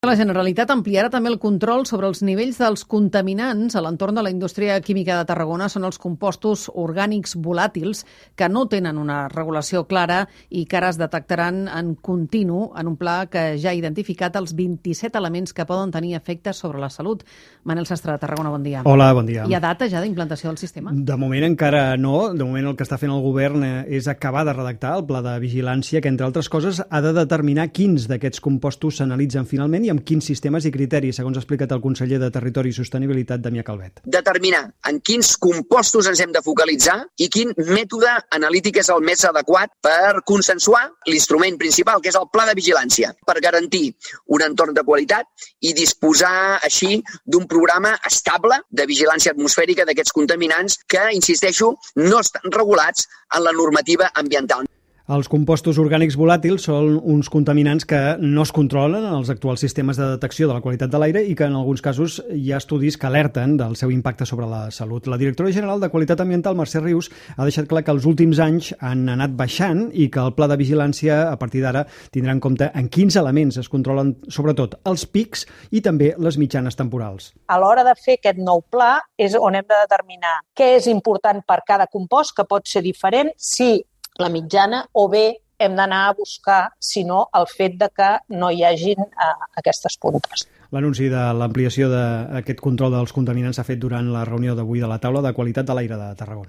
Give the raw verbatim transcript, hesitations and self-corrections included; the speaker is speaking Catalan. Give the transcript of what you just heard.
La Generalitat ampliarà també el control sobre els nivells dels contaminants a l'entorn de la indústria química de Tarragona. Són els compostos orgànics volàtils que no tenen una regulació clara i que ara es detectaran en continu en un pla que ja ha identificat els vint-i-set elements que poden tenir efectes sobre la salut. Manel Sastre, de Tarragona, bon dia. Hola, bon dia. Hi ha data ja d'implantació del sistema? De moment encara no. De moment el que està fent el govern és acabar de redactar el pla de vigilància que, entre altres coses, ha de determinar quins d'aquests compostos s'analitzen finalment i amb quins sistemes i criteris, segons ha explicat el conseller de Territori i Sostenibilitat, Damià Calvet. Determinar en quins compostos ens hem de focalitzar i quin mètode analític és el més adequat per consensuar l'instrument principal, que és el pla de vigilància, per garantir un entorn de qualitat i disposar així d'un programa estable de vigilància atmosfèrica d'aquests contaminants que, insisteixo, no estan regulats en la normativa ambiental. Els compostos orgànics volàtils són uns contaminants que no es controlen en els actuals sistemes de detecció de la qualitat de l'aire i que en alguns casos hi ha estudis que alerten del seu impacte sobre la salut. La directora general de Qualitat Ambiental, Mercè Rius, ha deixat clar que els últims anys han anat baixant i que el pla de vigilància, a partir d'ara, tindrà en compte en quins elements es controlen sobretot els pics i també les mitjanes temporals. A l'hora de fer aquest nou pla és on hem de determinar què és important per cada compost, que pot ser diferent, si la mitjana, o bé hem d'anar a buscar, si no, el fet de que no hi hagin eh, aquestes puntes. L'anunci de l'ampliació d'aquest control dels contaminants s'ha fet durant la reunió d'avui de la taula de qualitat de l'aire de Tarragona.